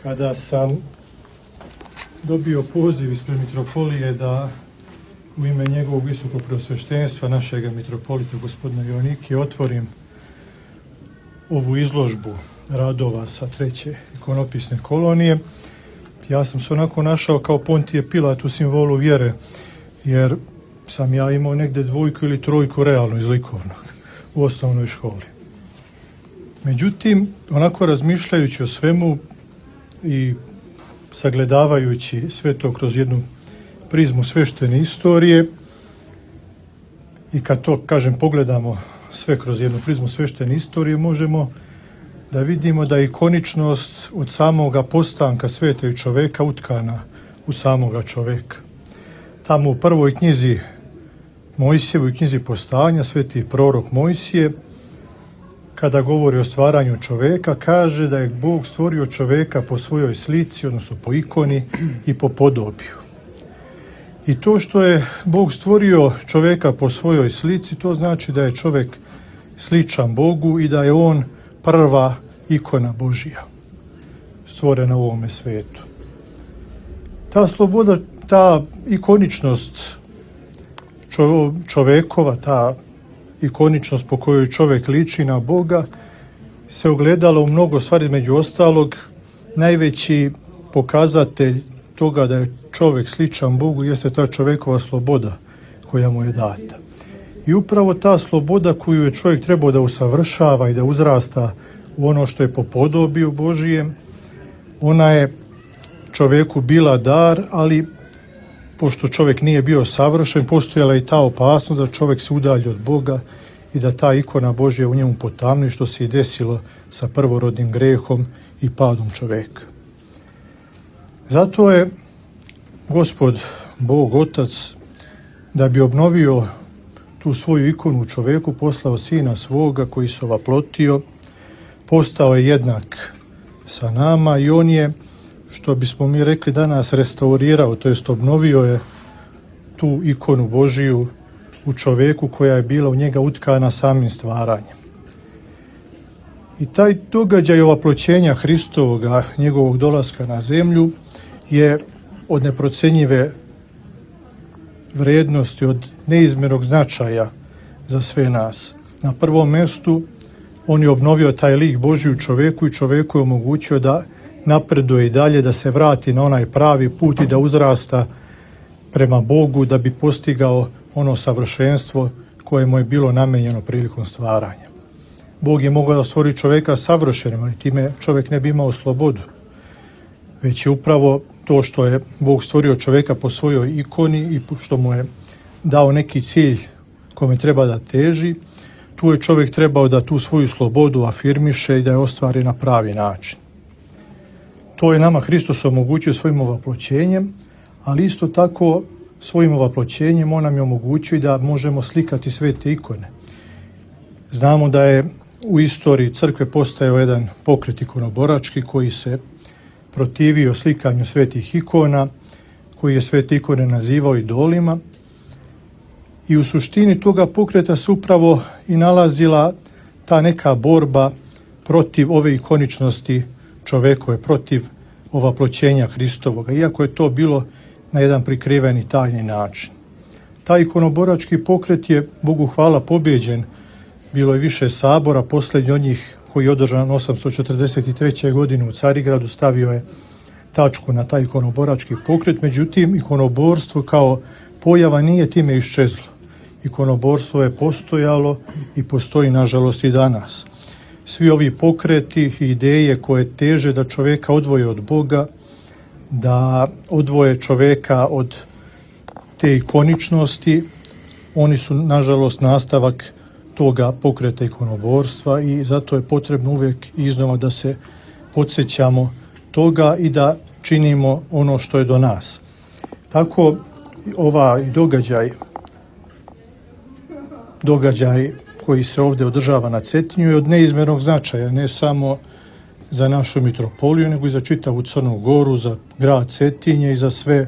Kada sam dobio poziv ispred mitropolije da u ime njegovog visokog preosveštenstva, našega mitropolita gospodina Joanike, otvorim ovu izložbu radova sa 3. ikonopisne kolonije, ja sam se onako našao kao Pontije Pilat u simbolu vjere, jer sam ja imao negde 2 ili 3 realno iz likovnog u osnovnoj školi. Međutim, onako razmišljajući o svemu i sagledavajući sve to kroz jednu prizmu sveštene istorije, i kad to, kažem, pogledamo sve kroz jednu prizmu sveštene istorije, možemo da vidimo da je ikoničnost od samoga postanka sveta i čoveka utkana u samoga čoveka. Tamo u prvoj knjizi Mojsijevoj, knjizi Postanja, sveti prorok Mojsije, kada govori o stvaranju čoveka, kaže da je Bog stvorio čoveka po svojoj slici, odnosno po ikoni i po podobiju. I to što je Bog stvorio čoveka po svojoj slici, to znači da je čovek sličan Bogu i da je on prva ikona Božija stvorena u ovome svetu. Ta sloboda, ta ikoničnost čovekova, ta ikoničnost po kojoj čovek liči na Boga, se ogledala u mnogo stvari. Među ostalog, najveći pokazatelj toga da je čovek sličan Bogu jeste ta čovekova sloboda koja mu je data. I upravo ta sloboda koju je čovjek trebao da usavršava i da uzrasta u ono što je po podobiju Božijem, ona je čoveku bila dar, ali pošto čovjek nije bio savršen, postojala i ta opasnost da čovjek se udalji od Boga i da ta ikona Božja u njemu potamni, što se i desilo sa prvorodnim grehom i padom čoveka. Zato je Gospod Bog Otac, da bi obnovio tu svoju ikonu u čoveku, poslao Sina svoga koji se ovaplotio, postao je jednak sa nama i on je, što bismo mi rekli danas, restaurirao, to jest obnovio je tu ikonu Božiju u čoveku koja je bila u njega utkana samim stvaranjem. I taj događaj ovaploćenja Hristovoga, njegovog dolaska na zemlju, je od neprocenjive vrednosti, od neizmjernog značaja za sve nas. Na prvom mjestu on je obnovio taj lik Božji u čoveku i čoveku je omogućio da napreduje i dalje, da se vrati na onaj pravi put i da uzrasta prema Bogu, da bi postigao ono savršenstvo koje mu je bilo namenjeno prilikom stvaranja. Bog je mogao da stvori čoveka savršenim, ali time čovjek ne bi imao slobodu. Već je upravo to što je Bog stvorio čoveka po svojoj ikoni i što mu je dao neki cilj kome treba da teži, tu je čovjek trebao da tu svoju slobodu afirmiše i da je ostvari na pravi način. To je nama Hristos omogućio svojim ovaploćenjem, ali isto tako svojim ovaploćenjem on nam je omogućio da možemo slikati sve te ikone. Znamo da je u istoriji crkve postojao jedan pokret ikonoborački koji se protivio slikanju svetih ikona, koji je svete ikone nazivao idolima. I u suštini toga pokreta se upravo i nalazila ta neka borba protiv ove ikoničnosti čovekove, protiv ovaploćenja Hristovoga, iako je to bilo na jedan prikriveni tajni način. Taj ikonoborački pokret je, Bogu hvala, pobjeđen. Bilo je više sabora, posljednji od njih koji je održan 843. godine u Carigradu, stavio je tačku na taj ikonoborački pokret. Međutim, ikonoborstvo kao pojava nije time iščezlo. Ikonoborstvo je postojalo i postoji, nažalost, i danas. Svi ovi pokreti i ideje koje teže da čoveka odvoje od Boga, da odvoje čoveka od te ikoničnosti, oni su, nažalost, nastavak toga pokreta ikonoborstva i zato je potrebno uvijek iznova da se podsjećamo toga i da činimo ono što je do nas. Tako ovaj događaj koji se ovdje održava na Cetinju je od neizmjernog značaja, ne samo za našu mitropoliju, nego i za čitavu Crnu Goru, za grad Cetinje i za sve,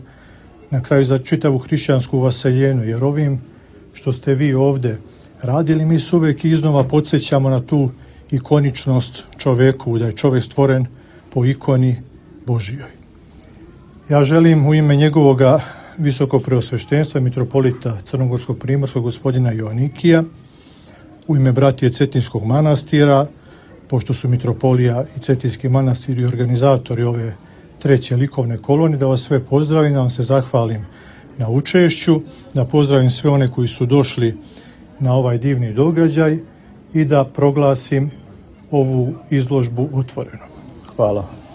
na kraju za čitavu hrišćansku vaseljenu, jer ovim što ste vi ovdje radili, mi se uvijek iznova podsjećamo na tu ikoničnost čoveku, da je čovjek stvoren po ikoni Božijoj. Ja želim u ime njegovoga visokopreosveštenstva mitropolita Crnogorskog primorskog gospodina Joanikija, u ime bratije Cetinskog manastira, pošto su mitropolija i Cetinski manastir i organizatori ove treće likovne kolonije, da vas sve pozdravim, da vam se zahvalim na učešću, da pozdravim sve one koji su došli na ovaj divni događaj i da proglasim ovu izložbu otvorenom. Hvala.